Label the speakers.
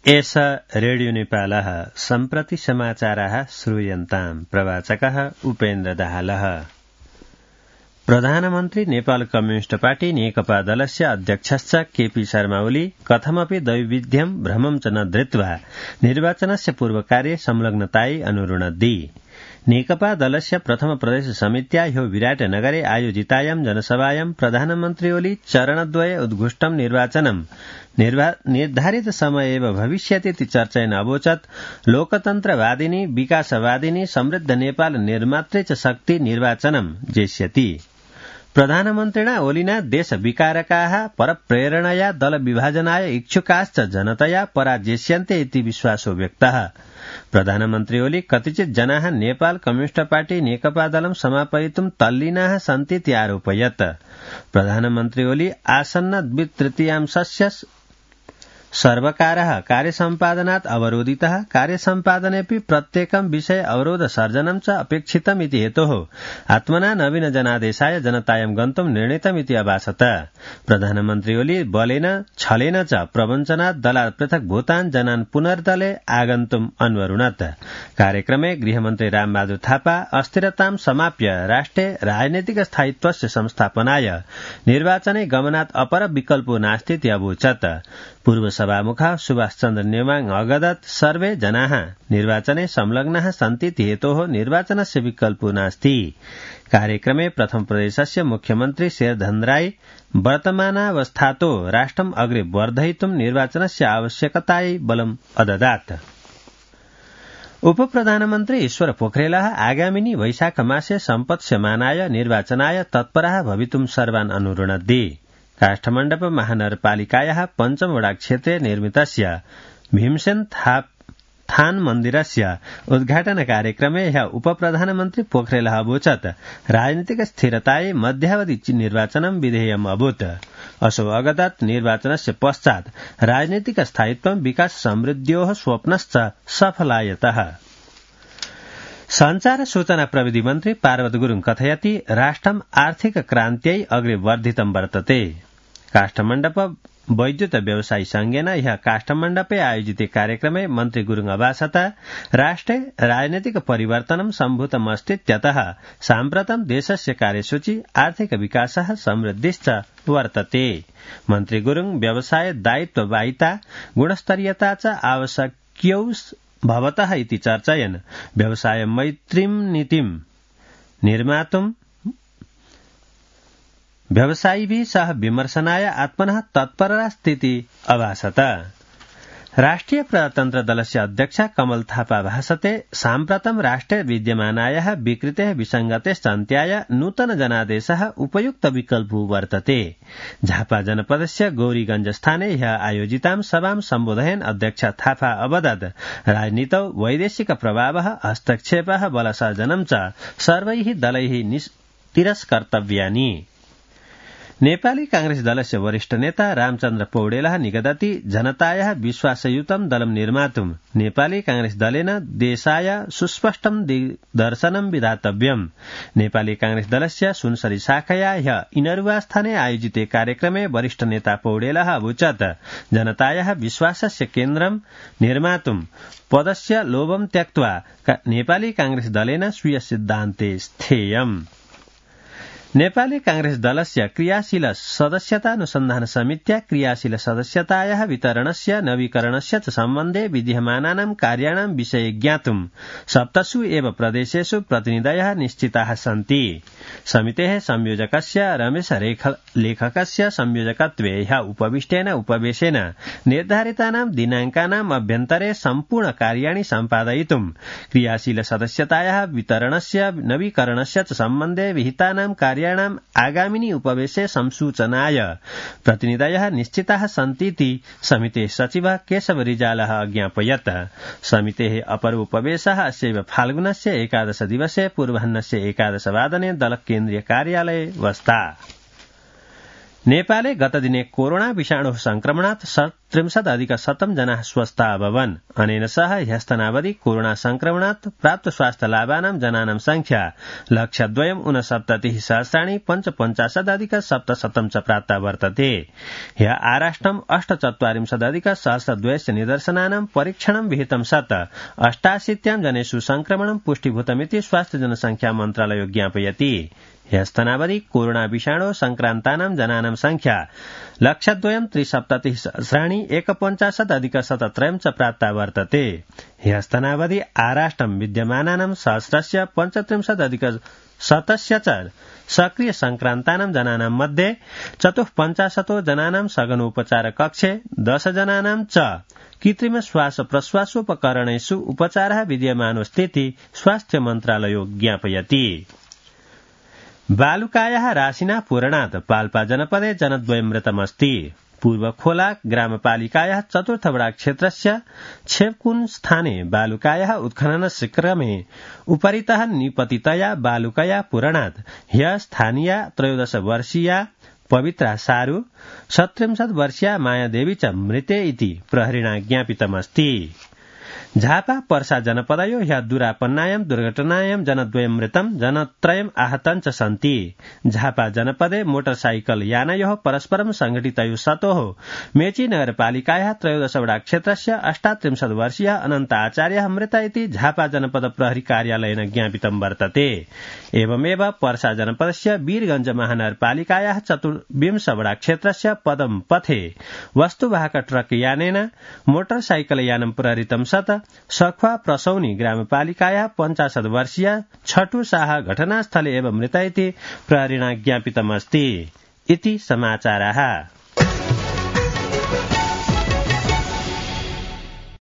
Speaker 1: एष रेडियो नेपालः सम्प्रति समाचाराः श्रूयन्ताम् प्रवाचकः उपेन्द्र दाहालः। प्रधानमन्त्री नेपाल कम्युनिष्ट पार्टी नेकपा दलस्य अध्यक्षश्च केपी शर्मा ओली कथमपि दैविध्यं भ्रमं च न धृत्वा निर्वाचनस्य पूर्वकार्ये संलग्नतायै अनुरुणद्धि। नेकपा दलस्य प्रथम प्रदेश समित्या ह्यो विराटनगरे आयोजितायां जनसभायां प्रधानमन्त्री ओली चरणद्वये उद्घुष्टं निर्वाचनं निर्धारित समय एव भविष्यतीति चर्चयन् अवोचत् लोकतन्त्रवादिनी विकासवादिनी समृद्ध नेपाल निर्मात्रे च शक्ति निर्वाचनं जेष्यति। प्रधानमन्त्रिणा ओलिना देश विकारकाः परप्रेरणया दल विभाजनाय इच्छुकाश्च जनतया पराजेष्यन्ते इति विश्वासो व्यक्तः। प्रधानमन्त्री ओली कतिचित् जनाः नेपाल कम्युनिष्ट पार्टी नेकपा दलं समापयितुं तल्लीनाः सन्तीति आरोपयत्। प्रधानमन्त्री ओली आसन्न द्वितृतीयांशस्य सर्वकारः कार्यसम्पादनात् अवरोधितः कार्यसम्पादनेऽपि प्रत्येकं विषय अवरोध सर्जनं च अपेक्षितमिति हेतोः आत्मना नवीन जनादेशाय जनतायां गन्तुं निर्णीतमिति अभासत। प्रधानमन्त्री ओली बलेन छलेन च प्रवञ्चनात् दलात् पृथक् भूतान् जनान् पुनर्दले आगन्तुम् अन्वरुणत्। कार्यक्रमे गृहमन्त्री रामबहादुर थापा अस्थिरतां समाप्य राष्ट्रे राजनैतिक स्थायित्वस्य संस्थापनाय निर्वाचने गमनात् अपर विकल्पो नास्तीति अवोचत्। पूर्व सभामुख सुभाष चन्द्र नेवाङ अगदत् सर्वे जनाः निर्वाचने संलग्नाः सन्तीति हेतोः निर्वाचनस्य विकल्पो नास्ति। कार्यक्रमे प्रथम प्रदेशस्य मुख्यमन्त्री शेरधन राय वर्तमानावस्थातो राष्ट्रम् अग्रे वर्धयितुं निर्वाचनस्य आवश्यकतायै बलम् अददात्। उपप्रधानमन्त्री ईश्वर पोखरेलः आगामिनी वैशाख मासे सम्पत्स्यमानाय निर्वाचनाय तत्परः भवितुं सर्वान् अनुरुणद्धि। काष्ठमण्डप महानगरपालिकायाः पञ्चम वडा क्षेत्रे निर्मितस्य भीमसेन थान मन्दिरस्य उद्घाटन कार्यक्रमे ह्यः उपप्रधानमन्त्री पोखरेलः अवोचत् राजनीतिक स्थिरतायै मध्यावधि निर्वाचनं विधेयम् अभूत्। असौ अगदत् निर्वाचनस्य पश्चात् राजनीतिक स्थायित्वं विकास समृद्ध्योः स्वप्नश्च सफलायतः। संचार सूचना प्रविधि मन्त्री पार्वत गुरुङ कथयति राष्ट्रम् आर्थिक क्रान्त्यै अग्रे वर्धितं वर्तते। काष्ठमण्डप वैद्युत व्यवसायी संघेन ह्यः काष्ठमण्डपे आयोजिते कार्यक्रमे मन्त्री गुरुङ अभासत राष्ट्रे राजनैतिक परिवर्तनं सम्भूतमस्तीत्यतः साम्प्रतं देशस्य कार्यसूची आर्थिक विकासः समृद्धिश्च वर्तते। मन्त्री गुरुङ व्यवसाय दायित्ववाहिता गुणस्तरीयता च आवश्यक्यौ भवतः इति चर्चयन् व्यवसाय मैत्रीं नीतिं निर्मातुं व्यवसायिभिः सह विमर्शनाय आत्मनः तत्परस्थिति अभासत। राष्ट्रिय प्रजातन्त्र दलस्य अध्यक्ष कमल थापा भाषते साम्प्रतं राष्ट्रे विद्यमानायाः विकृतेः विसङ्गतेश्च अन्त्याय नूतन जनादेशः उपयुक्त विकल्पो वर्तते। झापा जनपदस्य गौरीगंज स्थाने ह्यः आयोजितां सभां सम्बोधयन् अध्यक्ष थापा अवदत् राजनीतौ वैदेशिक प्रभावः हस्तक्षेपः बलसर्जनं च सर्वैः दलैः तिरस्कर्तव्यानि। नेपाली कांग्रेस दलस्य वरिष्ठ नेता रामचन्द्र पौडेलः निगदति जनतायाः विश्वासयुतं दलं निर्मातुं नेपाली कांग्रेस दलेन देशाय सुस्पष्टं दिग्दर्शनं विधातव्यम्। नेपाली कांग्रेस दलस्य सुनसरी शाखया ह्यः इनरुवा स्थाने आयोजिते कार्यक्रमे वरिष्ठ नेता पौडेलः अवोचत् जनतायाः विश्वासस्य केन्द्रं निर्मातुं पदस्य लोभं त्यक्त्वा नेपाली कांग्रेस दलेन स्वीय सिद्धान्ते स्थेयम्। नेपाली कांग्रेस दलस्य क्रियाशील सदस्यतानुसन्धान समित्या क्रियाशील सदस्यतायाः वितरणस्य नवीकरणस्य च सम्बन्धे विद्यमानानां कार्याणां विषये ज्ञातुं 7 एव प्रदेशेषु प्रतिनिधयः निश्चिताः सन्ति। समितेः संयोजकस्य रमेश लेखकस्य संयोजकत्वे ह्यः उपविष्टेन उपवेशेन निर्धारितानां दिनाङ्कानाम् अभ्यन्तरे सम्पूर्ण कार्याणि सम्पादयितुं क्रियाशील सदस्यतायाः वितरणस्य नवीकरणस्य च सम्बन्धे विहितानां कार्याणाम् आगामिनी उपवेशे संसूचनाय प्रतिनिधयः निश्चिताः सन्तीति समितेः सचिवः केशव रिजालः अज्ञापयत्। समितेः अपर उपवेशः अस्यैव फाल्गुनस्य 11 दिवसे पूर्वाह्नस्य 11 वादने दल केन्द्रीय कार्यालये वस्ता। नेपाले गतदिने कोरोना विषाणोः संक्रमणात् 35,100 जनाः स्वस्था अभवन्। अनेन सह ह्यस्तनावधि कोरोना संक्रमणात् प्राप्त स्वास्थ्य लाभानां जनानां संख्या 1,2,59,550,700 च प्राप्ता वर्तते। ह्य आराष्ट्रम् 48,100,200 निदर्शनानां परीक्षणं विहितं सत् 88 जनेषु संक्रमणं पुष्टिभूतमिति स्वास्थ्य जनसंख्या मन्त्रालयो ज्ञापयति। ह्यस्तनावधि कोरोना विषाणो संक्रान्तानां जनानां संख्या 1,03,73,150,173 च प्राप्ता वर्तते। ह्यस्तनावधि आराष्ट्रं विद्यमानानां सहस्रस्य 35,000,100 च सक्रिय संक्रान्तानां जनानां मध्ये 54 जनानां सघनोपचार कक्षे 10 जनानां च कृत्रिम श्वास प्रश्वासोपकरणेषु उपचारः विद्यमानोऽस्तीति स्वास्थ्य मन्त्रालयो ज्ञापयति। बालुकायाः राशिना पूरणात् पाल्पा जनपदे जनद्वयं मृतमस्ति। पूर्वखोला ग्रामपालिकायाः चतुर्थवडा क्षेत्रस्य छेवकुन स्थाने बालुकायाः उत्खननस्य क्रमे उपरितः निपतितया बालुकया पूरणात् ह्य स्थानीया 13 वर्षीया पवित्रा सारू 37 वर्षीया मायादेवी च मृते इति प्रहरिणा ज्ञापितमस्ति। झापा पर्सा जनपदयो ह्य दुरापन्नायां दुर्घटनायां जनद्वयं मृतं जनत्रयम् आहतं च सन्ति। झापा जनपदे मोटरसाइकल यानयोः परस्परं संघटितयोः स्तोः मेची नगरपालिकायाः 13 वडा क्षेत्रस्य 38 वर्षीयः अनन्त आचार्यः मृत इति झापा जनपद प्रहरी कार्यालयेन ज्ञापितं वर्तते। एवमेव पर्सा जनपदस्य वीरगंज महानगरपालिकायाः 24 वडा क्षेत्रस्य पदम पथे वस्तुवाहक ट्रक यानेन मोटरसाइकल यानं प्रहरितं सत् सखुवा प्रसौनी ग्रामपालिकायाः 50 वर्षीय छठु शाह घटनास्थले एव मृत इति प्रहरिणा ज्ञापितमस्ति। इति समाचाराः।